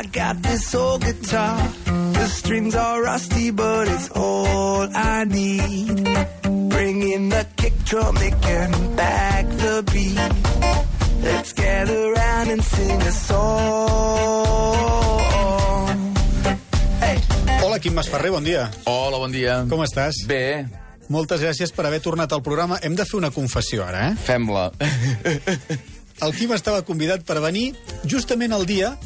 I got this old guitar. The strings are rusty, but it's all I need. Bring in the kick drum, it can back the beat. Let's gather around and sing a song. Hey. Hola, Quim Masferrer, bon dia. Hola, bon dia. Com estàs? Bé. Moltes gràcies per haver tornat al programa. Hem de fer una confessió ara, Fem-la. El Quim estava convidat per venir justament el dia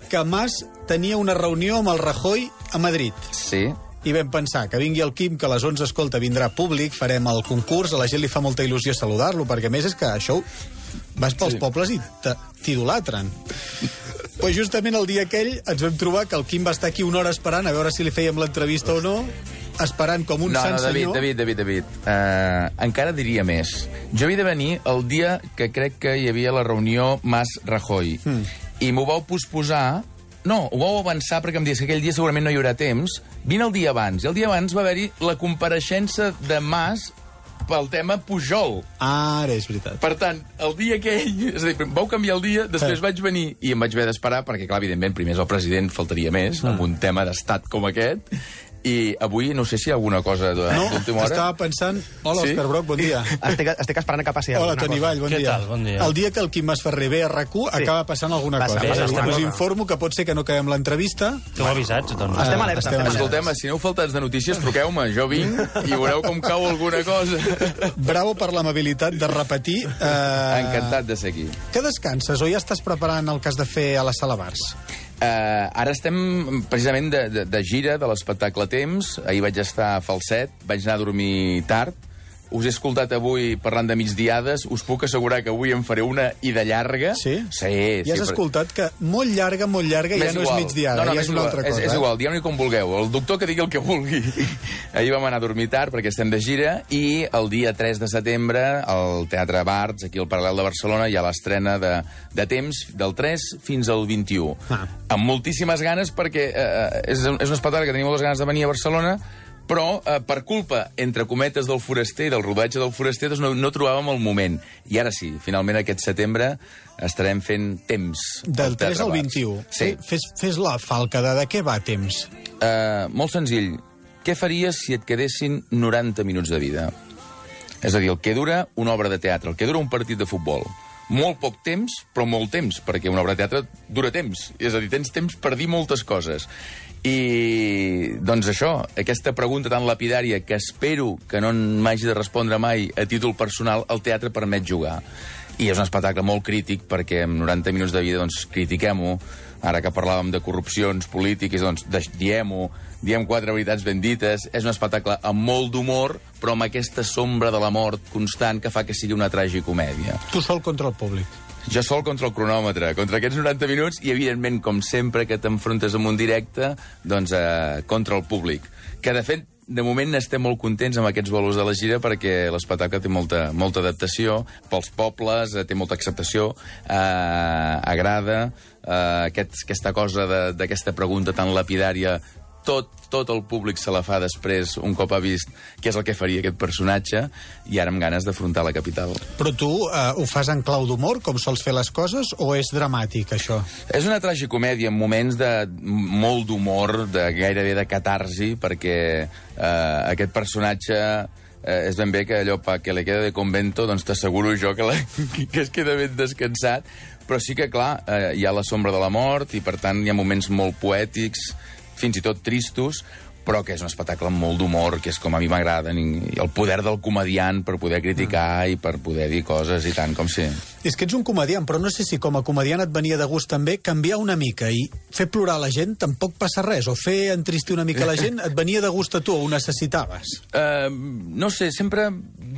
que Mas tenia una reunió amb el Rajoy a Madrid. Sí. I vam pensar que vingui el Quim, que a les 11, escolta, vindrà públic, farem el concurs, a la gent li fa molta il·lusió saludar-lo, perquè a més és que això vas pels pobles i t'idolatren. Pues justament el dia aquell ens vam trobar que el Quim va estar aquí una hora esperant a veure si li fèiem l'entrevista o no, esperant com un sant senyor. David. Encara diria més. Jo havia de venir el dia que crec que hi havia la reunió Mas-Rajoy. I m'ho vau posposar. No, ho vau avançar perquè em dius que aquell dia segurament no hi haurà temps. Vine el dia abans. I el dia abans va haver-hi la compareixença de Mas pel tema Pujol. Ara és veritat. Per tant, el dia aquell... És a dir, vau canviar el dia, després vaig venir i em vaig haver d'esperar, perquè, clar, evidentment, primer és el president, faltaria més, amb un tema d'estat com aquest. I avui no sé si hi ha alguna cosa d'última hora. Estava pensant... Hola, sí? Òscar Broc, bon dia. Estic esperant que passi alguna cosa. Hola, Toni Vall, bon dia. Què tal? Bon dia. El dia que el Quim Masferrer ve a RAC1 acaba passant alguna cosa. Us informo que pot ser que no acabem l'entrevista. T'ho avisats, doncs. Estem alerta. Escoltem, si aneu faltats de notícies, truqueu-me, jo vinc i veureu com cau alguna cosa. Bravo per l'amabilitat de repetir. Encantat de ser aquí. Que descanses o ja estàs preparant el que has de fer a la Sala Bars? Ara estem precisament de gira de l'espectacle Temps. Ahir vaig estar a Falset, vaig anar a dormir tard. Us he escoltat avui parlant de migdiades. Us puc assegurar que avui en faré una i de llarga. Sí? Sí. I has escoltat que molt llarga ja no és migdiada, ja és una altra cosa. És igual, digueu-ne com vulgueu. El doctor que digui el que vulgui. Ahir vam anar a dormir tard perquè estem de gira i el dia 3 de setembre al Teatre Barts, aquí al Paral·lel de Barcelona, hi ha l'estrena de Temps del 3 fins al 21. Amb moltíssimes ganes perquè és un espectacle que tenim moltes ganes de venir a Barcelona, però per culpa, entre cometes, del Foraster, del rodatge del Foraster, doncs no trobàvem el moment. I ara sí, finalment aquest setembre estarem fent Temps. Del 3 al 21. Sí. Fes la falca de què va Temps? Molt senzill. Què faries si et quedessin 90 minuts de vida? És a dir, el que dura una obra de teatre, el que dura un partit de futbol. Molt poc temps, però molt temps, perquè una obra de teatre dura temps. És a dir, tens temps per dir moltes coses. I, doncs això, aquesta pregunta tan lapidària que espero que no m'hagi de respondre mai a títol personal, el teatre permet jugar. I és un espectacle molt crític perquè en 90 minuts de vida doncs, critiquem-ho. Ara que parlàvem de corrupcions polítiques, doncs diem-ho, diem 4 veritats ben dites. És un espectacle amb molt d'humor, però amb aquesta sombra de la mort constant que fa que sigui una tragicomèdia. Tu sol contra el públic. Jo sol contra el cronòmetre, contra aquests 90 minuts i, evidentment, com sempre que t'enfrontes amb un directe, doncs contra el públic. Que, de fet, de moment estem molt contents amb aquests valors de la gira perquè l'espectacle té molta adaptació pels pobles, té molta acceptació, agrada, aquesta cosa d'aquesta pregunta tan lapidària. Tot el públic se la fa després, un cop ha vist què és el que faria aquest personatge, i ara amb ganes d'afrontar la capital. Però tu ho fas en clau d'humor, com sols fer les coses, o és dramàtic, això? És una tragicomèdia, en moments de molt d'humor, gairebé de catarsi, perquè aquest personatge és ben bé que allò que le queda de convento, doncs t'asseguro jo que es queda ben descansat, però sí que, clar, hi ha la sombra de la mort, i per tant hi ha moments molt poètics, fins i tot tristos, però que és un espectacle amb molt d'humor, que és com a mi m'agrada, el poder del comediant per poder criticar i per poder dir coses, i tant, com si... És que ets un comediant, però no sé si com a comediant et venia de gust també canviar una mica i fer plorar la gent tampoc passa res, o fer entristir una mica la gent et venia de gust a tu, o ho necessitaves? No sé, sempre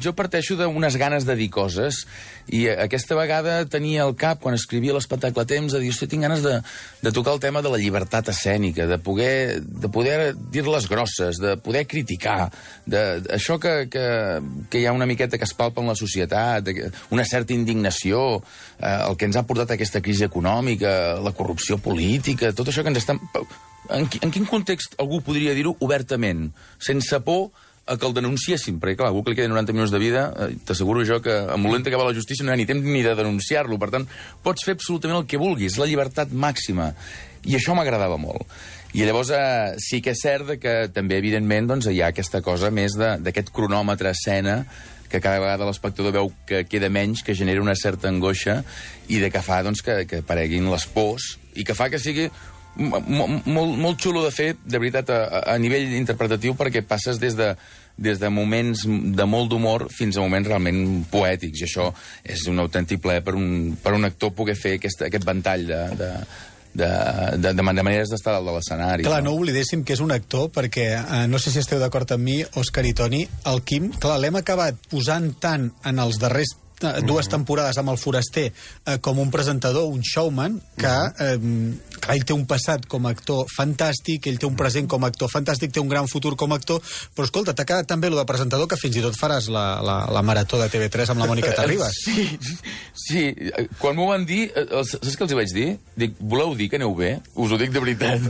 jo parteixo d'unes ganes de dir coses, i aquesta vegada tenia al cap, quan escrivia l'espectacle Temps, de dir, hosti, tinc ganes de tocar el tema de la llibertat escènica, de poder dir-les grosses, de poder criticar, això que hi ha una miqueta que es palpa en la societat, una certa indignació, el que ens ha portat a aquesta crisi econòmica, la corrupció política, tot això que ens està... En quin context algú podria dir-ho obertament, sense por a que el denunciessin, perquè clar, algú que li queda 90 minuts de vida, t'asseguro jo que amb el moment d'acabar la justícia no hi ha ni temps ni de denunciar-lo, per tant, pots fer absolutament el que vulguis, la llibertat màxima. I això m'agradava molt. I llavors sí que és cert que també, evidentment, doncs, hi ha aquesta cosa més d'aquest cronòmetre escena que cada vegada l'espectador veu que queda menys, que genera una certa angoixa i que fa doncs, que apareguin les pors i que fa que sigui molt xulo de fer, de veritat, a nivell interpretatiu, perquè passes des de moments de molt d'humor fins a moments realment poètics, i això és un autèntic plaer per un actor poder fer aquest ventall de maneres d'estar dalt de l'escenari. Clar, no oblidéssim que és un actor, perquè no sé si esteu d'acord amb mi, Òscar i Toni, el Quim, clar, l'hem acabat posant tant en els darrers dues temporades amb el Foraster com un presentador, un showman, que ell té un passat com a actor fantàstic, ell té un present com a actor fantàstic, té un gran futur com a actor, però escolta, t'ha quedat tan bé lo de presentador que fins i tot faràs la marató de TV3 amb la Mònica Terribas. Sí, quan m'ho van dir, saps què els hi vaig dir? Dic, voleu dir que aneu bé? Us ho dic de veritat.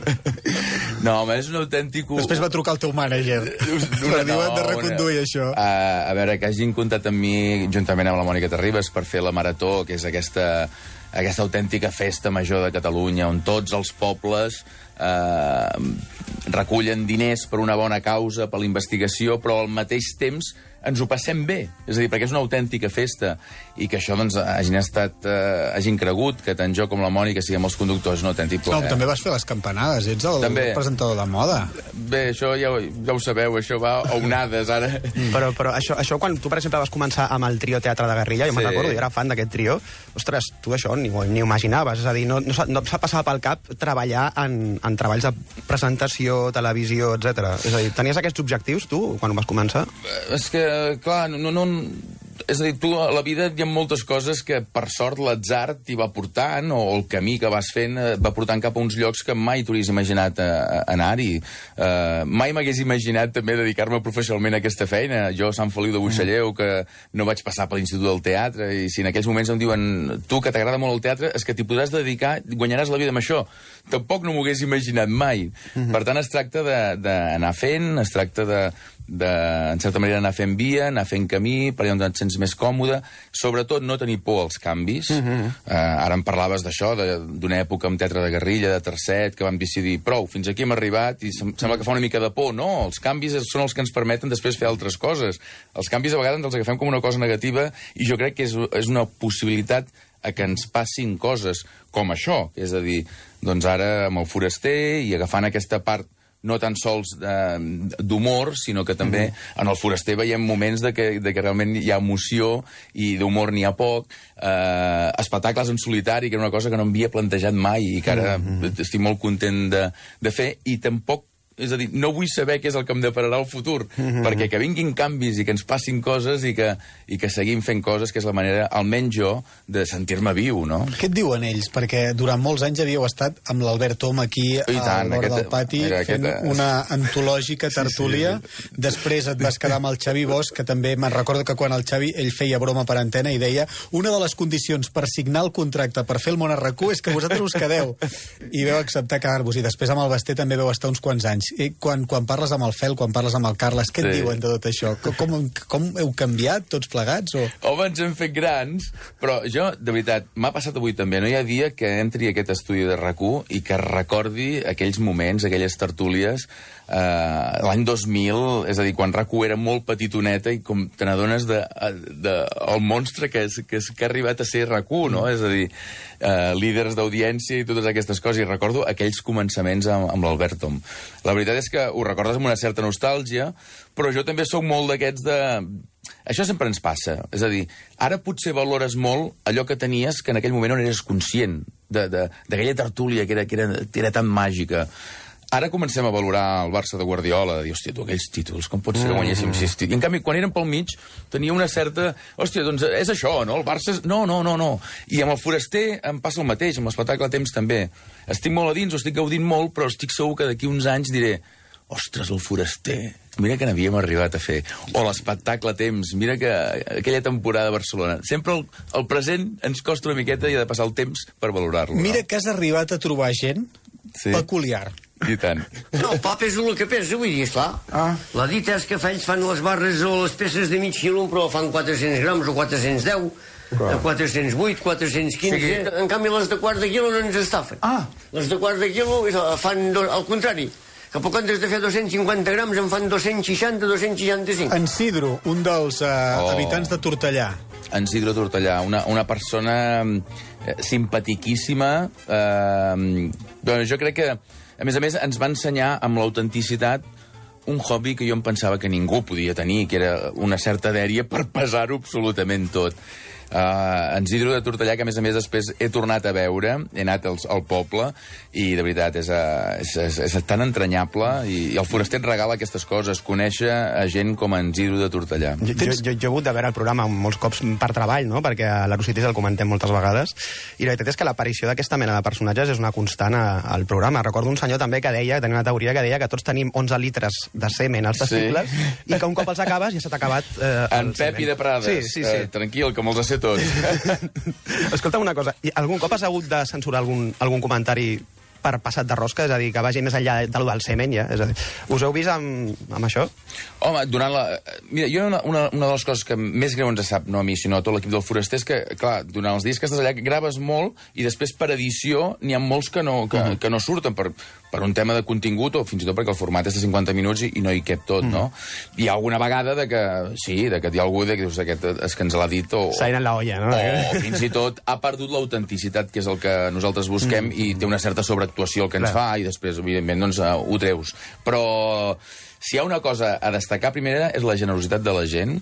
No, home, és un autèntic... Després va trucar el teu mànager. Per dir, hem de reconduir això. A veure, que hagin comptat amb mi, juntament amb la Mònica Terribas, per fer la marató, que és aquesta autèntica festa major de Catalunya, on tots els pobles recullen diners per una bona causa, per la investigació, però al mateix temps ens ho passem bé. És a dir, perquè és una autèntica festa, i que això doncs, hagin cregut que tant jo com la Mònica siguem els conductors, un autèntic plaer. No, també vas fer les campanades, ets el presentador de moda. Bé, això ja ho sabeu, això va a onades, ara. Però això quan tu, per exemple, vas començar amb el trio Teatre de Guerrilla, jo me'n recordo, jo era fan d'aquest trio, ostres, tu això ni ho imaginaves, és a dir, no se't passava pel cap treballar en treballs de presentació, televisió, etc. És a dir, tenies aquests objectius, tu, quan ho vas començar? És que, clar, no... És a dir, tu a la vida hi ha moltes coses que, per sort, l'atzar t'hi va portant, o el camí que vas fent va portant cap a uns llocs que mai t'hauries imaginat anar-hi. Mai m'hagués imaginat també dedicar-me professionalment a aquesta feina. Jo, a Sant Feliu de Buixalleu, que no vaig passar per l'Institut del Teatre, i si en aquells moments em diuen tu, que t'agrada molt el teatre, és que t'hi podràs dedicar, guanyaràs la vida amb això. Tampoc no m'ho hagués imaginat mai. Per tant, es tracta d'anar fent, es tracta en certa manera, anar fent via, anar fent camí, per allà on et sents més còmode, sobretot no tenir por als canvis. Ara em parlaves d'això, d'una època amb Teatre de Guerrilla, de Tercet, que vam decidir, prou, fins aquí hem arribat, i sembla que fa una mica de por. No, els canvis són els que ens permeten després fer altres coses. Els canvis a vegades ens els agafem com una cosa negativa, i jo crec que és una possibilitat a que ens passin coses com això. És a dir, doncs ara amb el Foraster, i agafant aquesta part no tan sols d'humor, sinó que també en el Foraster veiem moments de que realment hi ha emoció i d'humor n'hi ha poc, espectacles en solitari, que era una cosa que no m'havia plantejat mai i que ara estic molt content de fer, i tampoc, és a dir, no vull saber què és el que em depararà el futur, perquè que vinguin canvis i que ens passin coses i que seguim fent coses, que és la manera, almenys jo, de sentir-me viu, no? Què et diuen ells? Perquè durant molts anys havíeu estat amb l'Albert Tom aquí a l'hora del pati fent una antològica tertúlia. Després et vas quedar amb el Xavi Bosch, que també me'n recordo que quan el Xavi ell feia broma per antena i deia una de les condicions per signar el contracte per fer el Món a RAC1 és que vosaltres us quedeu. I veu acceptar quedar-vos. I després amb el Basté també veu estar uns quants anys. I quan parles amb el Fel, quan parles amb el Carles, què et diuen de tot això? Com heu canviat tots plegats? Home, ens hem fet grans, però jo, de veritat, m'ha passat avui també. No hi ha dia que entri a aquest estudi de RAC1 i que recordi aquells moments, aquelles tertúlies, l'any 2000, és a dir, quan RAC1 era molt petitoneta i com te n'adones del monstre que ha arribat a ser RAC1, no? És a dir, líders d'audiència i totes aquestes coses. I recordo aquells començaments amb l'Albert Tom. La veritat és que ho recordes amb una certa nostàlgia, però jo també sóc molt d'aquests de... Això sempre ens passa. És a dir, ara potser valores molt allò que tenies que en aquell moment no eres conscient d'aquella tertúlia que era tan màgica. Ara comencem a valorar el Barça de Guardiola, de dir, hòstia, tu, aquells títols, com pot ser que guanyéssim 6 títols? I en canvi, quan eren pel mig, tenia una certa... Hòstia, doncs és això, no? El Barça és... No. I amb el Foraster em passa el mateix, amb l'espectacle Temps també. Estic molt a dins, ho estic gaudint molt, però estic segur que d'aquí uns anys diré ostres, el Foraster, mira que n'havíem arribat a fer. O l'espectacle Temps, mira que aquella temporada a Barcelona. Sempre el present ens costa una miqueta i ha de passar el temps per valorar-lo. Mira que has arribat a trobar gent peculiar. I tant. No, el pa pesa el que pesa, vull dir, esclar. La dita és que ells fan les barres o les peces de mig quilo, però fan 400 grams o 410, 408, 415... En canvi, les de quart de quilo no ens estafen. Les de quart de quilo fan al contrari. Que poc antes de fer 250 grams en fan 260, 265. En Sidro, un dels habitants de Tortellà. En Sidro Tortellà, una persona simpatiquíssima. Jo crec que, a més, ens va ensenyar amb l'autenticitat un hobby que jo em pensava que ningú podia tenir, que era una certa dèria per pesar-ho absolutament tot. En Sidro de Tortellà, que a més després he tornat a veure, he anat al poble, i de veritat és tan entranyable, i el foraster et regala aquestes coses, conèixer a gent com en Sidro de Tortellà. Jo he hagut de veure el programa molts cops per treball, no? Perquè a l'Arocitis el comentem moltes vegades, i la veritat és que l'aparició d'aquesta mena de personatges és una constant al programa. Recordo un senyor també que deia, tenia una teoria que deia que tots tenim 11 litres de semen als testicles, i que un cop els acabes ja se t'ha acabat en Pepi de Prades, sí. Tranquil, que me'ls sé tots. Escolta'm una cosa, algun cop has hagut de censurar algun comentari per passat de rosca? És a dir, que vagi més enllà del semen, ja? És a dir, us heu vist amb això? Home, mira, jo una de les coses que més greu ens sap, no a mi, sinó a tot l'equip del foraster, és que, clar, durant els dies que estàs allà graves molt i després per edició n'hi ha molts que no surten per un tema de contingut o fins i tot perquè el format és de 50 minuts i no hi cap tot, no? Hi ha alguna vegada que hi ha algú que dius, aquest és que ens l'ha dit o... S'ha anat la olla, no? O fins i tot ha perdut l'autenticitat, que és el que nosaltres busquem, i té una certa sobreactuació el que ens fa, i després, evidentment, doncs ho treus. Però si hi ha una cosa a destacar, primera, és la generositat de la gent.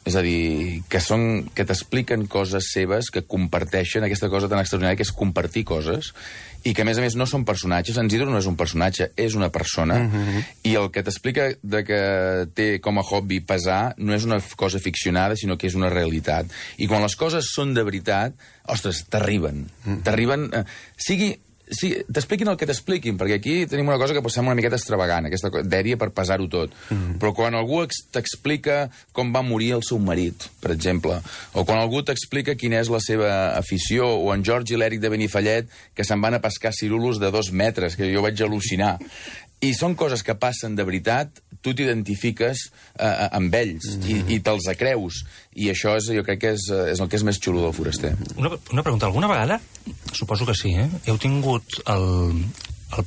És a dir, que t'expliquen coses seves, que comparteixen aquesta cosa tan extraordinària que és compartir coses, i que, a més, no són personatges. En Sidro no és un personatge, és una persona, i el que t'explica que té com a hobby pesar no és una cosa ficcionada, sinó que és una realitat. I quan les coses són de veritat, ostres, t'arriben. T'arriben... Sí, t'expliquin el que t'expliquin, perquè aquí tenim una cosa que sembla una miqueta extravagant, aquesta dèria per pesar-ho tot. Però quan algú t'explica com va morir el seu marit, per exemple, o quan algú t'explica quina és la seva afició, o en George i l'Eric de Benifallet, que se'n van a pescar cirulos de 2 metres, que jo vaig al·lucinar. I són coses que passen de veritat, tu t'identifiques amb ells i te'ls creus. I això jo crec que és el que és més xulo del foraster. Una pregunta, alguna vegada, suposo que sí, heu tingut el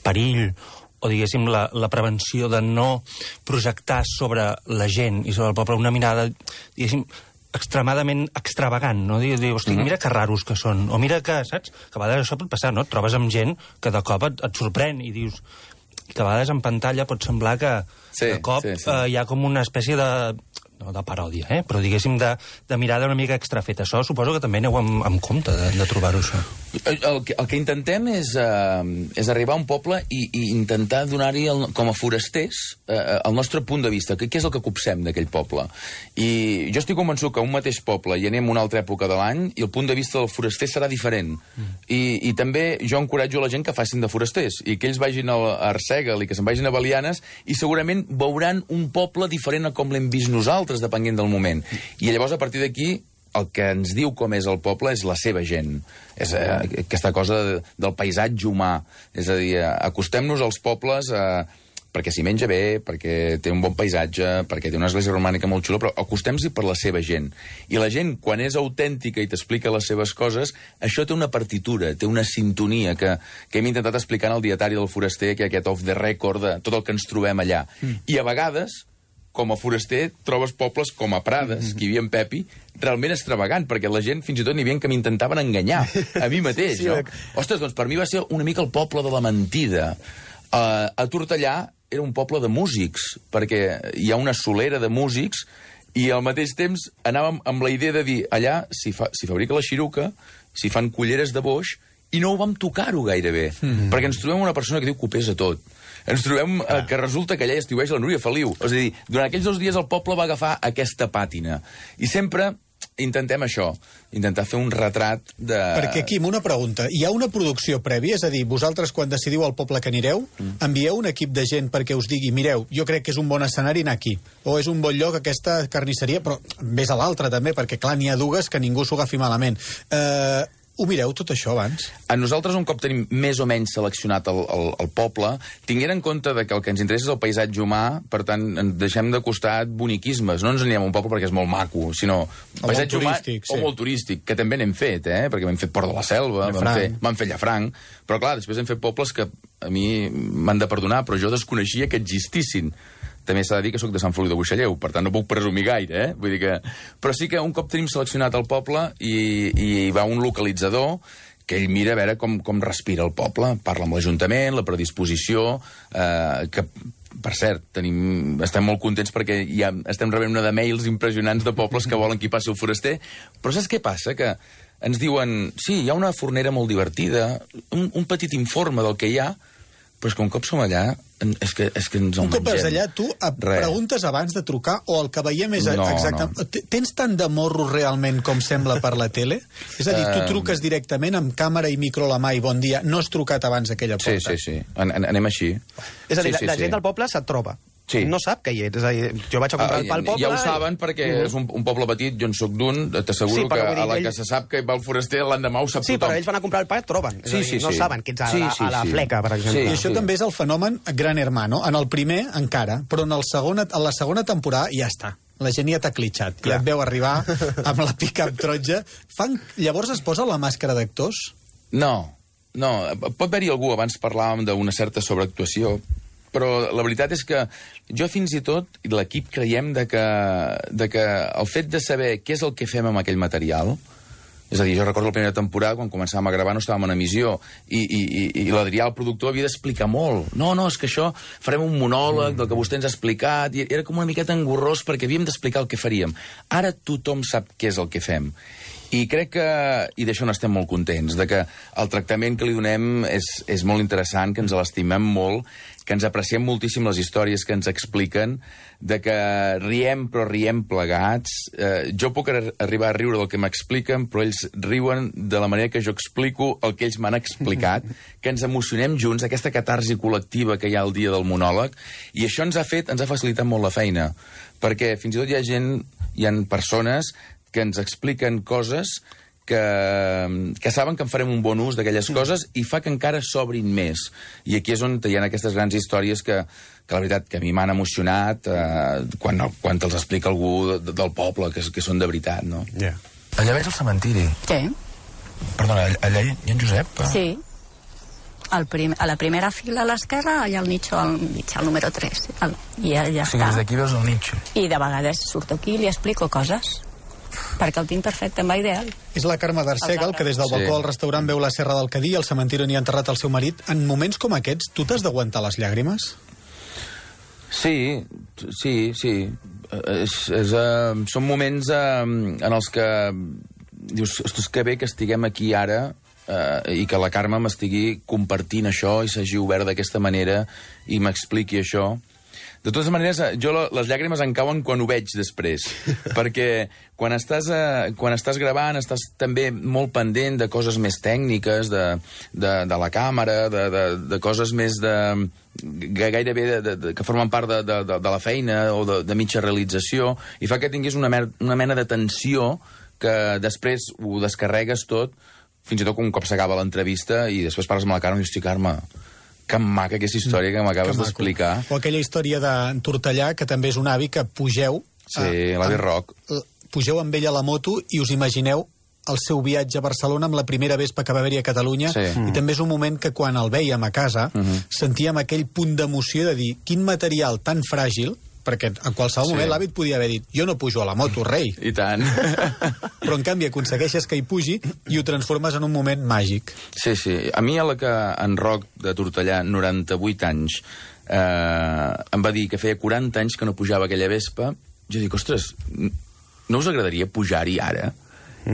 perill o, diguéssim, la prevenció de no projectar sobre la gent i sobre el poble una mirada, diguéssim, extremadament extravagant, no? Diu, hosti, mira que raros que són, o mira que, saps? Que a vegades això pot passar, no? Et trobes amb gent que de cop et sorprèn i dius... que a vegades en pantalla pot semblar que de cop hi ha com una espècie de... no de paròdia, però diguéssim de mirada una mica extrafeta. Això suposo que també aneu amb compte de trobar-ho, això. El que intentem és arribar a un poble i intentar donar-hi, com a forasters, el nostre punt de vista. Què és el que copsem d'aquell poble? I jo estic convençut que a un mateix poble hi anem una altra època de l'any i el punt de vista del foraster serà diferent. I també jo encoratjo a la gent que facin de forasters i que ells vagin a Arsèguel i que se'n vagin a Belianes i segurament veuran un poble diferent a com l'hem vist nosaltres, depenent del moment. I llavors, a partir d'aquí, el que ens diu com és el poble és la seva gent. És aquesta cosa del paisatge humà. És a dir, acostem-nos als pobles perquè s'hi menja bé, perquè té un bon paisatge, perquè té una església romànica molt xula, però acostem-s'hi per la seva gent. I la gent, quan és autèntica i t'explica les seves coses, això té una partitura, té una sintonia que hem intentat explicar en el dietari del foraster, que aquest off the record de tot el que ens trobem allà. I a vegades, com a foraster, trobes pobles com a Prades, que hi havia en Pepi, realment extravagant, perquè la gent fins i tot n'hi havia que m'intentaven enganyar a mi mateix. No? Ostres, doncs per mi va ser una mica el poble de la mentida. A Tortellà era un poble de músics, perquè hi ha una solera de músics i al mateix temps anàvem amb la idea de dir allà s'hi fabrica la xiruca, s'hi fan culleres de boix, i no ho vam tocar-ho gairebé, perquè ens trobem una persona que diu que ho pesa tot. Ens trobem que resulta que allà hi estiueix la Núria Feliu. És a dir, durant aquells 2 dies el poble va agafar aquesta pàtina. I sempre intentem això, intentar fer un retrat de... Perquè, Quim, una pregunta. Hi ha una producció prèvia? És a dir, vosaltres, quan decidiu al poble que anireu, envieu un equip de gent perquè us digui, mireu, jo crec que és un bon escenari anar aquí, o és un bon lloc aquesta carnisseria, però vés a l'altra també, perquè, clar, n'hi ha dues que ningú s'ho agafi malament. ho mireu tot això abans? A nosaltres, un cop tenim més o menys seleccionat el poble, tinguent en compte que el que ens interessa és el paisatge humà, per tant, ens deixem de costat boniquismes. No ens anirem a un poble perquè és molt maco, sinó paisatge humà o molt turístic, que també n'hem fet, perquè vam fer Port de la Selva, vam fer Llafranc, però clar, després hem fet pobles que a mi m'han de perdonar, però jo desconeixia que existissin. També s'ha de dir que sóc de Sant Feliu de Buixalleu, per tant no puc presumir gaire, Vull dir que... Però sí que un cop tenim seleccionat el poble i hi va un localitzador que ell mira a veure com respira el poble, parla amb l'Ajuntament, la predisposició, que, per cert, estem molt contents perquè ja estem rebent una de mails impressionants de pobles que volen que hi passi el foraster, però saps què passa? Que ens diuen, sí, hi ha una fornera molt divertida, un petit informe del que hi ha, però és que un cop som allà, és que ens el mengem. Un cop és allà, tu preguntes abans de trucar o el que veiem és exactament... No. Tens tant de morro realment com sembla per la tele? És a dir, tu truques directament amb càmera i micro a la mà i bon dia, no has trucat abans d'aquella porta? Sí. Anem així. És a dir, la gent del poble se't troba. Sí. No sap que hi ets. És a dir, jo vaig a comprar el pa al poble... Ja ho saben perquè és un poble petit, jo en soc d'un, t'asseguro que a la que se sap que va al foraster l'endemà ho sap tothom. Sí, però ells van a comprar el pa i et troben. Sí. No saben que ets a la fleca, per exemple. I això també és el fenomen Gran Hermano. En el primer, encara, però en la segona temporada ja està. La gent ja t'ha clitxat. Ja et veu arribar amb la pick-up taronja. Llavors es posa la màscara d'actors? No. Pot haver-hi algú, abans parlàvem d'una certa sobreactuació, però la veritat és que jo fins i tot, i l'equip creiem de que el fet de saber què és el que fem amb aquell material, és a dir, jo recordo la primera temporada, quan començàvem a gravar no estàvem en emissió, i l'Adrià, el productor, havia d'explicar molt. No, és que això farem un monòleg del que vostè ens ha explicat, i era com una miqueta engorrós perquè havíem d'explicar el que faríem. Ara tothom sap què és el que fem. I crec que, i d'això n'estem molt contents, de que el tractament que li donem és molt interessant, que ens l'estimem molt, que ens apreciem moltíssim les històries que ens expliquen, de que riem, però riem plegats. Jo puc arribar a riure del que m'expliquen, però ells riuen de la manera que jo explico el que ells m'han explicat, que ens emocionem junts, aquesta catarsi col·lectiva que hi ha el dia del monòleg, i això ens ha facilitat molt la feina, perquè fins i tot hi ha persones que ens expliquen coses que saben que en farem un bon ús d'aquelles coses i fa que encara s'obrin més. I aquí és on hi ha aquestes grans històries que la veritat, que a mi m'han emocionat quan te'ls explica algú del poble, que són de veritat, no? Yeah. Allà veig el cementiri. Sí. Perdona, allà hi ha en Josep? Sí. A la primera fila a l'esquerra, allà al nicho, al número 3. I allà està. O sigui, des d'aquí veus el nicho. I de vegades surto aquí i li explico coses, perquè el tinc perfecte, em va ideal. És la Carme d'Arsegal, que des del balcó del restaurant veu la Serra del Cadí, al cementiri on hi ha enterrat el seu marit. En moments com aquests, tu t'has d'aguantar les llàgrimes? Sí. Són moments en els que dius, ostres, que bé que estiguem aquí ara i que la Carme m'estigui compartint això i s'hagi obert d'aquesta manera i m'expliqui això. De totes maneres, jo les llàgrimes em cauen quan ho veig després, perquè quan estàs gravant estàs també molt pendent de coses més tècniques, de la càmera, de coses més gairebé que formen part de la feina o de mitja realització, i fa que tinguis una mena de tensió que després ho descarregues tot, fins i tot un cop s'acaba l'entrevista i després parles amb la Carme i dius, Carme, que maca aquesta història que m'acabes d'explicar. O aquella història d'en Tortellà, que també és un avi que pugeu... Sí, l'avi Roc. Pugeu amb ell a la moto i us imagineu el seu viatge a Barcelona amb la primera vespa que va haver-hi a Catalunya, i també és un moment que quan el vèiem a casa sentíem aquell punt d'emoció de dir quin material tan fràgil, perquè en qualsevol moment l'avi et podia haver dit jo no pujo a la moto, rei. I tant. Però en canvi aconsegueixes que hi pugi i ho transformes en un moment màgic. Sí. A mi, a la que en Roc de Tortellà, 98 anys, em va dir que feia 40 anys que no pujava aquella vespa, jo dic, ostres, no us agradaria pujar-hi ara?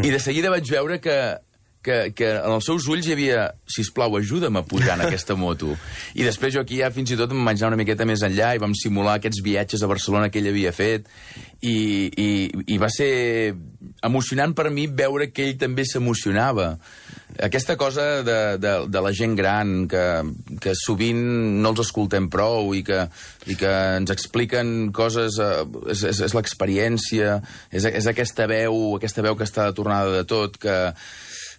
I de seguida vaig veure que en els seus ulls hi havia, sisplau, ajuda'm a pujar en aquesta moto. I després jo aquí ja fins i tot em vaig anar una miqueta més enllà i vam simular aquests viatges a Barcelona que ell havia fet i va ser emocionant per mi veure que ell també s'emocionava. Aquesta cosa de la gent gran que sovint no els escoltem prou i que ens expliquen coses, és l'experiència, és aquesta veu que està tornada de tot,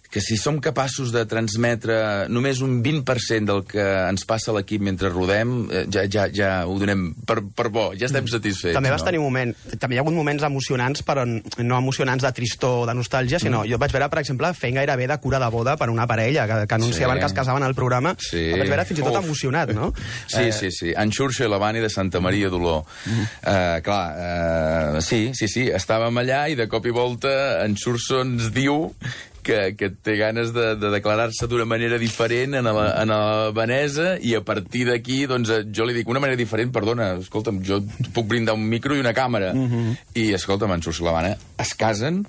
que si som capaços de transmetre només un 20% del que ens passa a l'equip mentre rodem, ja ho donem per bo, ja estem satisfets. També vas tenir un moment, també hi ha hagut moments emocionants, però no emocionants de tristor o de nostàlgia, sinó jo vaig veure, per exemple, fent gairebé de cura de boda per una parella, que anunciaven que es casaven al programa, el vaig veure fins i tot emocionat, no? Sí. En Xurxo i la Vani de Santa Maria d'Oló. Sí, estàvem allà i de cop i volta en Xurxo ens diu que té ganes de declarar-se d'una manera diferent a la Vanessa, i a partir d'aquí, doncs, jo li dic, una manera diferent, perdona, escolta'm, jo puc brindar un micro i una càmera. I, escolta'm, en Xurxo i la Vana es casen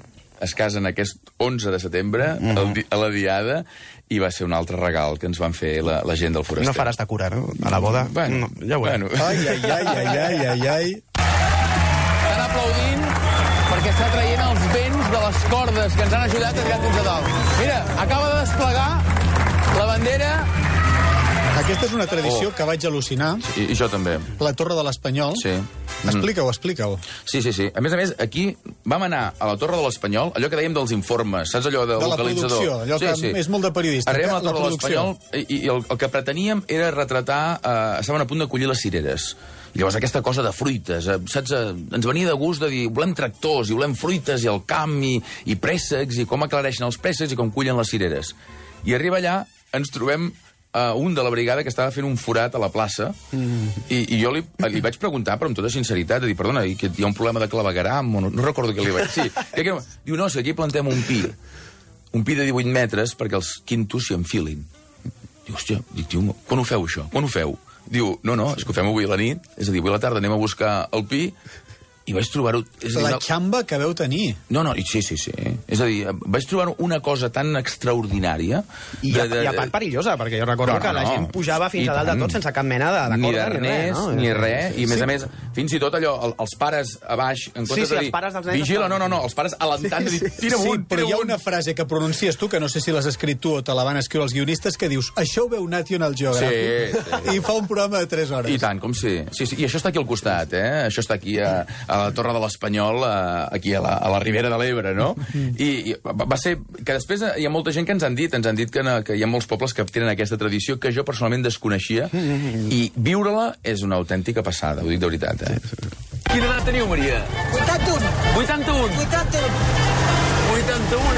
aquest 11 de setembre, a la Diada, i va ser un altre regal que ens van fer la gent del Foraster. No faràs de cura, no? A la boda? Bueno, ja ho veurem. Ai. Estan aplaudint perquè està traient els vents de les cordes que ens han ajudat a tirar fins a dalt. Mira, acaba de desplegar la bandera. Aquesta és una tradició que vaig al·lucinar. I jo també. La Torre de l'Espanyol. Sí. Explica-ho. Sí. A més, aquí vam anar a la Torre de l'Espanyol, allò que dèiem dels informes, saps allò de localitzador? De la producció, allò que és molt de periodista. Arribem a la Torre de l'Espanyol i el que preteníem era retratar... Estaven a punt d'acollir les cireres. Llavors aquesta cosa de fruites, saps? Ens venia de gust de dir, volem tractors, i volem fruites, i el camp, i préssecs, i com aclareixen els préssecs, i com cullen les cireres. I arriba allà, ens trobem un de la brigada que estava fent un forat a la plaça, i jo li vaig preguntar, però amb tota sinceritat, de dir, perdona, que hi ha un problema de clavegueram, o no recordo què li vaig dir. Sí, diu, no, si aquí plantem un pi de 18 metres perquè els quintos s'hi enfilin. Diu, hòstia, quan ho feu, això? Quan ho feu? Diu, no, és que ho fem avui a la nit, és a dir, avui a la tarda anem a buscar el pi, i vaig trobar-ho... La xamba que veu tenir. No, sí. És a dir, vaig trobar una cosa tan extraordinària... I a part perillosa, perquè jo recordo que la gent pujava fins a dalt de tot sense cap mena de corda ni d'arnès, ni res, i a més, fins i tot allò, els pares a baix, en comptes de dir, vigila, no, els pares alentant, de dir, tira amunt, però hi ha una frase que pronuncies tu, que no sé si l'has escrit tu o te la van escriure els guionistes, que dius, això ho veu National Geographic, i fa un programa de 3 hores. I tant, com sí. I això està aquí al costat, Això està aquí a la Torre de l'Espanyol, aquí a la Ribera de l'Ebre, no? I va ser... Que després hi ha molta gent que ens han dit que hi ha molts pobles que tenen aquesta tradició que jo personalment desconeixia, i viure-la és una autèntica passada, ho dic de veritat, Quina edat teniu, Maria? 81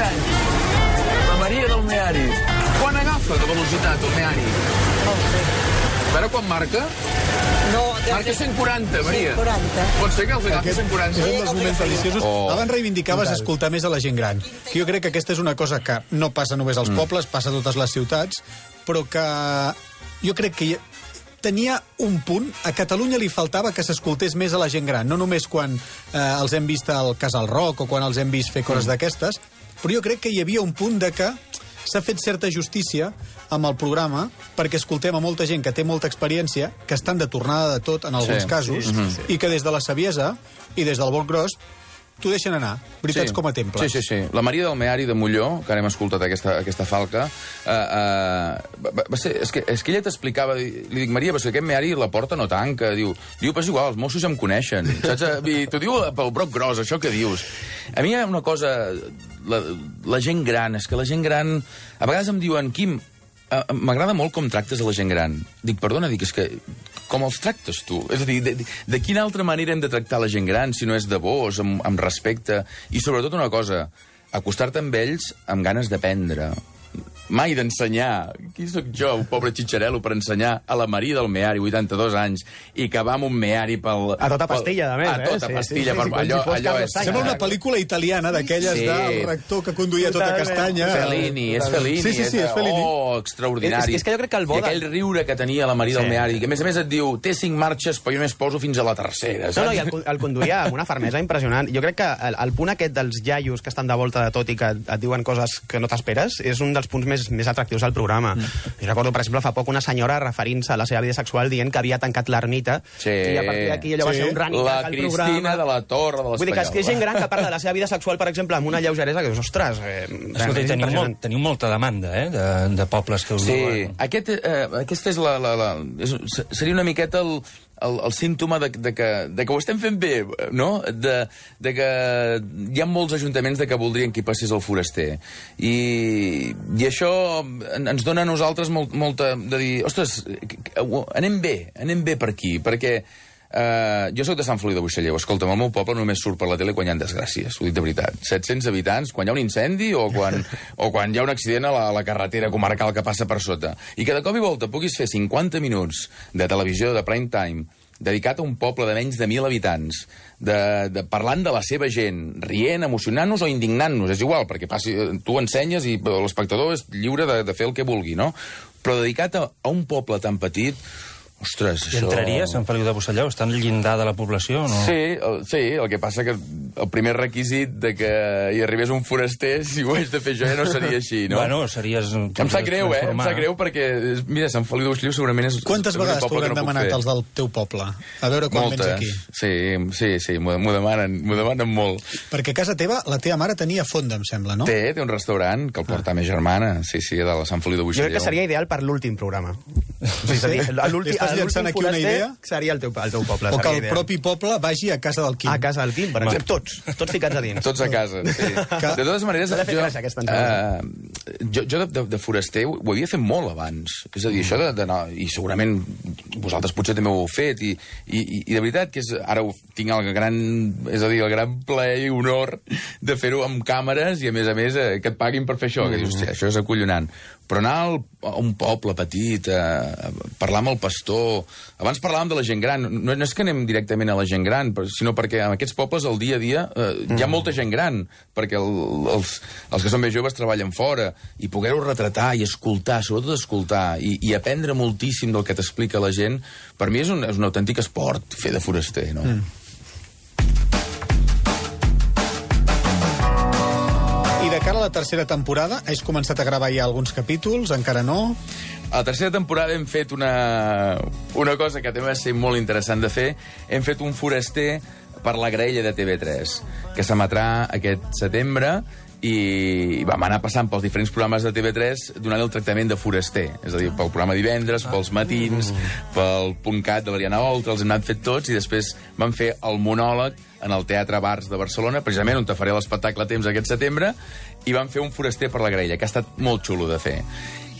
anys. La Maria del Meari. Quan agafa de velocitat el Meari? No ho sé. A veure quan marca? No, marca 140, Maria. 140. Pot ser que el agafi 140? És un dels moments deliciosos. Abans reivindicaves escoltar més a la gent gran. Que jo crec que aquesta és una cosa que no passa només als pobles, passa a totes les ciutats, però que jo crec que tenia un punt. A Catalunya li faltava que s'escoltés més a la gent gran, no només quan els hem vist al Casal Roc o quan els hem vist fer coses d'aquestes, però jo crec que hi havia un punt de que s'ha fet certa justícia amb el programa perquè escoltem a molta gent que té molta experiència, que estan de tornada de tot en alguns casos, i que des de la saviesa i des del bon gros t'ho deixen anar, veritats com a temples. Sí. La Maria del Meari de Molló, que ara hem escoltat aquesta falca, va ser... És que ella t'explicava, li dic, Maria, però aquest Meari la porta no tanca. Diu, però és igual, els Mossos ja em coneixen. Saps? T'ho diu pel broc gros, això que dius. A mi hi ha una cosa... La gent gran, és que la gent gran... A vegades em diuen, Quim, m'agrada molt com tractes a la gent gran. Dic, perdona, és que... Com els tractes tu? És a dir, de quina altra manera hem de tractar la gent gran, si no és de vos, amb respecte? I sobretot una cosa, acostar-te amb ells amb ganes d'aprendre. Mai d'ensenyar. Qui sóc jo, un pobre xitxarel·lo, per ensenyar a la Maria del Meari, 82 anys, i que va amb un Meari pel... A tota pastilla, de més, A tota pastilla. Allò és... Sembla una pel·lícula italiana, d'aquelles del rector que conduïa tota castanya. Fellini, és Fellini. Sí, és Fellini. Oh, extraordinari. És que jo crec que el bo... I aquell riure que tenia la Maria del Meari, que a més et diu, té 5 marxes, però jo només poso fins a la tercera. No, i el conduïa amb una fermesa impressionant. Jo crec que el punt aquest dels iaios que estan de volta de tot i que et diuen coses que no t'esperes és un dels punts més atractius del programa. Jo recordo, per exemple, fa poc una senyora referint-se a la seva vida sexual dient que havia tancat l'ermita i a partir d'aquí allò va ser un running gag al programa. La Cristina de la Torre de l'Espanyol. Vull dir que és que hi ha gent gran que parla de la seva vida sexual, per exemple, amb una lleugeresa que dius, ostres... Escolta, teniu molta demanda, de pobles que us diuen. Sí, aquesta és seria una miqueta el símptoma de que ho estem fent bé, no? De que hi ha molts ajuntaments que voldrien que hi passés el foraster. I això ens dona a nosaltres molta de dir, ostres, anem bé per aquí, perquè jo soc de Sant Feliu de Buixalleu. Escolta'm, el meu poble només surt per la tele quan hi ha desgràcies, ho dic de veritat. 700 habitants, quan hi ha un incendi o quan hi ha un accident a la carretera comarcal que passa per sota. I que de cop i volta puguis fer 50 minuts de televisió de prime time dedicat a un poble de menys de 1.000 habitants, parlant de la seva gent, rient, emocionant-nos o indignant-nos, és igual, perquè tu ensenyes i l'espectador és lliure de fer el que vulgui, no? Però dedicat a un poble tan petit, ostres, això... I entraria Sant Feliu de Buixalleu? Està en el llindar de la població o no? Sí, el que passa que el primer requisit de que hi arribés un foraster, si ho haig de fer jo, ja no seria així, no? Bueno, series... Em sap greu, em sap greu, perquè, mira, Sant Feliu de Buixalleu segurament és... Quantes vegades t'ho hauran demanat els del teu poble? A veure quan vens aquí. Sí, m'ho demanen molt. Perquè a casa teva, la teva mare tenia fonda, em sembla, no? Té un restaurant que el porta meva germana, sí, de la Sant Feliu de Buixalleu. Jo crec que seria ideal per l'últim programa. Estàs llançant aquí una idea? Seria el teu poble. O que el propi poble vagi a casa del Quim. A casa del Quim, per exemple. Tots ficats a dins. Tots a casa, sí. De totes maneres, jo de foraster ho havia fet molt abans. És a dir, això d'anar... I segurament vosaltres potser també ho heu fet. I de veritat que ara tinc el gran plaer i honor de fer-ho amb càmeres i, a més, que et paguin per fer això. Que dius, això és acollonant. Però anar a un poble petit, parlar amb el pastor... Abans parlàvem de la gent gran. No és que anem directament a la gent gran, sinó perquè en aquests pobles, el dia a dia, hi ha molta gent gran, perquè els que són més joves treballen fora, i poder-ho retratar i escoltar, sobretot escoltar, i aprendre moltíssim del que t'explica la gent, per mi és un autèntic esport fer de foraster, no? De cara a la tercera temporada, has començat a gravar ja alguns capítols, encara no? A la tercera temporada hem fet una cosa que també va ser molt interessant de fer. Hem fet un foraster per la graella de TV3, que s'emetrà aquest setembre, i vam anar passant pels diferents programes de TV3 donant el tractament de foraster. És a dir, pel programa Divendres, pels matins, pel .cat de l'Ariana Oltra, els hem anat fet tots, i després vam fer el monòleg en el Teatre Bars de Barcelona, precisament on te faré l'espectacle a temps aquest setembre, i vam fer un foraster per la graella, que ha estat molt xulo de fer.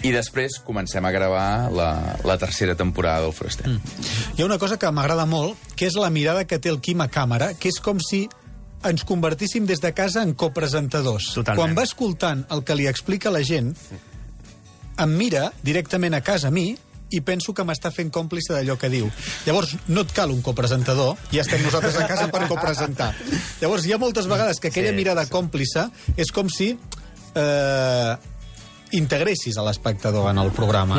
I després comencem a gravar la tercera temporada del foraster. Hi ha una cosa que m'agrada molt, que és la mirada que té el Quim a càmera, que és com si ens convertíssim des de casa en copresentadors. Totalment. Quan va escoltant el que li explica la gent, em mira directament a casa a mi i penso que m'està fent còmplice d'allò que diu. Llavors, no et cal un copresentador, ja estem nosaltres a casa per copresentar. Llavors, hi ha moltes vegades que aquella mirada còmplice és com si integressis a l'espectador en el programa.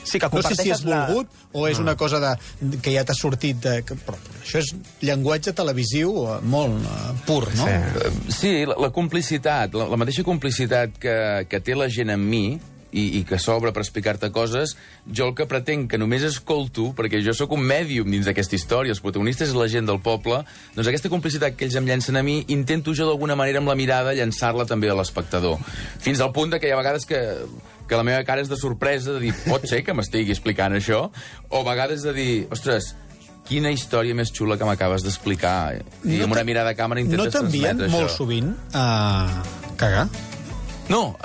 Sí, que no sé si és volgut o és una cosa que ja t'ha sortit... Però això és llenguatge televisiu molt pur, no? Sí, la complicitat, la mateixa complicitat que té la gent amb mi, i que s'obre per explicar-te coses, jo el que pretenc que només escolto, perquè jo sóc un mèdium dins d'aquesta història, els protagonistes és la gent del poble, doncs aquesta complicitat que ells em llancen a mi, intento jo d'alguna manera amb la mirada llançar-la també a l'espectador. Fins al punt que hi ha vegades que la meva cara és de sorpresa, de dir, pot ser que m'estigui explicant això, o a vegades de dir, ostres, quina història més xula que m'acabes d'explicar. I amb una mirada a càmera intentes transmetre això. No t'envien molt sovint a cagar? No,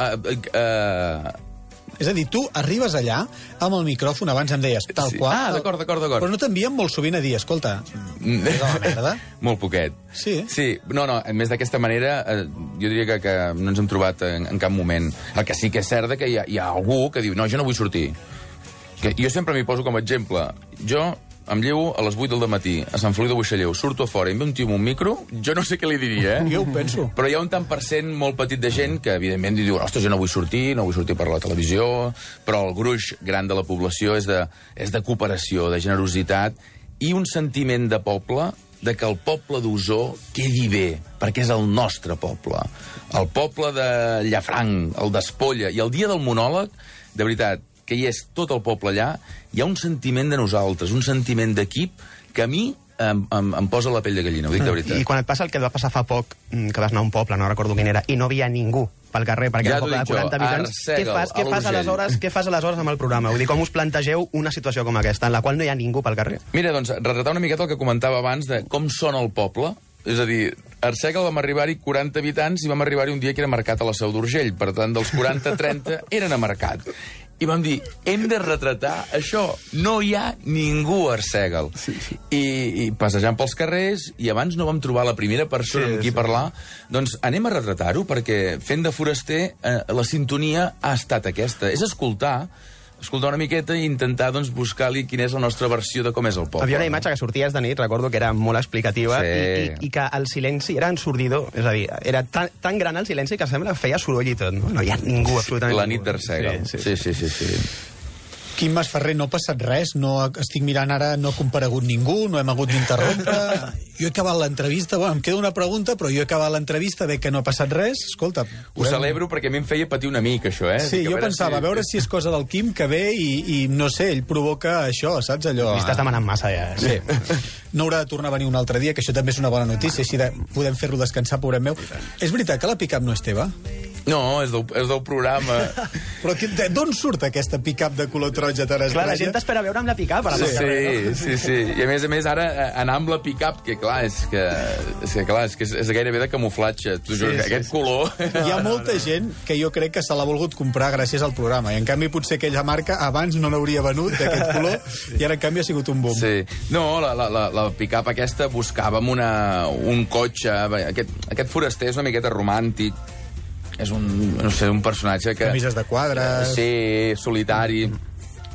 és a dir, tu arribes allà amb el micròfon, abans em deies, tal qual... Ah, d'acord. Però no t'envien molt sovint a dir, escolta, és a la merda? Molt poquet. Sí? Sí, no, a més d'aquesta manera, jo diria que no ens hem trobat en cap moment. El que sí que és cert que hi ha algú que diu, no, jo no vull sortir. Que jo sempre m'hi poso com a exemple. Jo em llevo a les 8 del matí a Sant Feliu de Buixalleu, surto a fora i un tio amb un micro, jo no sé què li diria, Jo ho penso. Però hi ha un tant per cent molt petit de gent que, evidentment, diu, ostres, jo no vull sortir per la televisió, però el gruix gran de la població és de cooperació, de generositat i un sentiment de poble, de que el poble d'Osor quedi bé, perquè és el nostre poble. El poble de Llafranc, el d'Espolla, i el dia del monòleg, de veritat, que hi és tot el poble allà, hi ha un sentiment de nosaltres, un sentiment d'equip que a mi em posa la pell de gallina, ho dic de veritat. I quan et passa el que et va passar fa poc, que vas anar a un poble, no recordo quin era, i no havia ningú pel carrer, perquè Ja el t'ho poble de dic jo, 40 habitants... Arsèguel, Què fas aleshores amb el programa? Vull dir, com us plantegeu una situació com aquesta, en la qual no hi ha ningú pel carrer? Mira, doncs, retratar una miqueta el que comentava abans de com sona el poble. És a dir, a Arsèguel vam arribar-hi 40 habitants i vam arribar-hi un dia que era mercat a la Seu d'Urgell. Per tant, dels 40, 30 eren a mercat. I vam dir, hem de retratar això. No hi ha ningú a Arsèguel. I passejant pels carrers, i abans no vam trobar la primera persona amb qui parlar, doncs anem a retratar-ho, perquè fent de foraster la sintonia ha estat aquesta. És escoltar una miqueta i intentar doncs, buscar-li quina és la nostra versió de com és el poble. Havia una imatge que sorties de nit, recordo que era molt explicativa, i que el silenci era ensordidor. És a dir, era tan gran el silenci que sembla que feia soroll i tot. No hi ha ningú, absolutament La nit d'Arsèguel. Sí. Quim Masferrer, no ha passat res, no estic mirant ara, no ha comparegut ningú, no hem hagut d'interrompre. Jo he acabat l'entrevista, bueno, em queda una pregunta, però jo he acabat l'entrevista, veig que no ha passat res, escolta... Ho celebro perquè a mi em feia patir una mica, això, eh? Sí, jo pensava, a veure si és cosa del Quim que ve i no sé, ell provoca això, saps, allò... Li estàs demanant massa, ja. Sí. No haurà de tornar a venir un altre dia, que això també és una bona notícia, així podem fer-lo descansar, pobret meu. És veritat que la pick-up no és teva? No, és del programa. Però d'on surt aquesta pick-up de color taronja tan estranya? Clar, la gent t'espera veure amb la pick-up a la carrer, no? Sí. I a més, ara anar amb la pick-up, que clar, és gairebé de camuflatge. Aquest color... Hi ha molta gent que jo crec que se l'ha volgut comprar gràcies al programa, i en canvi potser aquella marca abans no l'hauria venut d'aquest color, i ara en canvi ha sigut un boom. Sí. No, la pick-up aquesta buscàvem un cotxe... Aquest foraster és una miqueta romàntic, és un personatge que... Camises de quadres... Sí, solitari.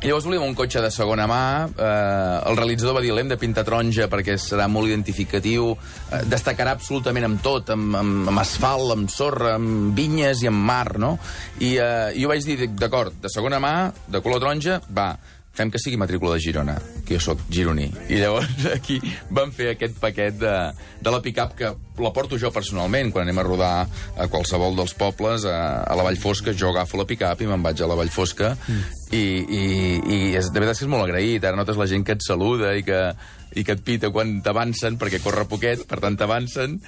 I llavors volíem un cotxe de segona mà. El realitzador va dir, l'hem de pintar taronja perquè serà molt identificatiu, destacarà absolutament amb tot, amb asfalt, amb sorra, amb vinyes i amb mar, no? I jo vaig dir, d'acord, de segona mà, de color taronja, va, fem que sigui matrícula de Girona, que jo sóc gironí. I llavors aquí vam fer aquest paquet de la pick-up que la porto jo personalment. Quan anem a rodar a qualsevol dels pobles, a la Vall Fosca, jo agafo la pick-up i me'n vaig a la Vall Fosca. I de veritat que és molt agraït. Ara notes la gent que et saluda i que et pita quan t'avancen, perquè corre poquet, per tant t'avancen,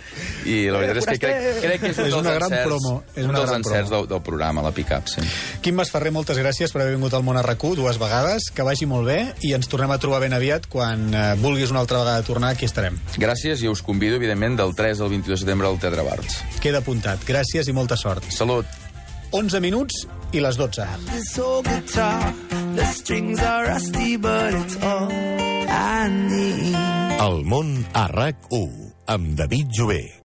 i la veritat és que crec que és un dels encerts del programa, la pick-up, sí. Quim Masferrer, moltes gràcies per haver vingut al Món a RAC1 2 vegades, que vagi molt bé, i ens tornem a trobar ben aviat. Quan vulguis una altra vegada tornar, aquí estarem. Gràcies, i us convido, evidentment, del 3 al 22 de setembre al Teatre Barts. Queda apuntat. Gràcies i molta sort. Salut. 11 minuts i les 12. This old guitar, the strings are rusty, but it's all I need. El Món a RAC1 amb David Jové.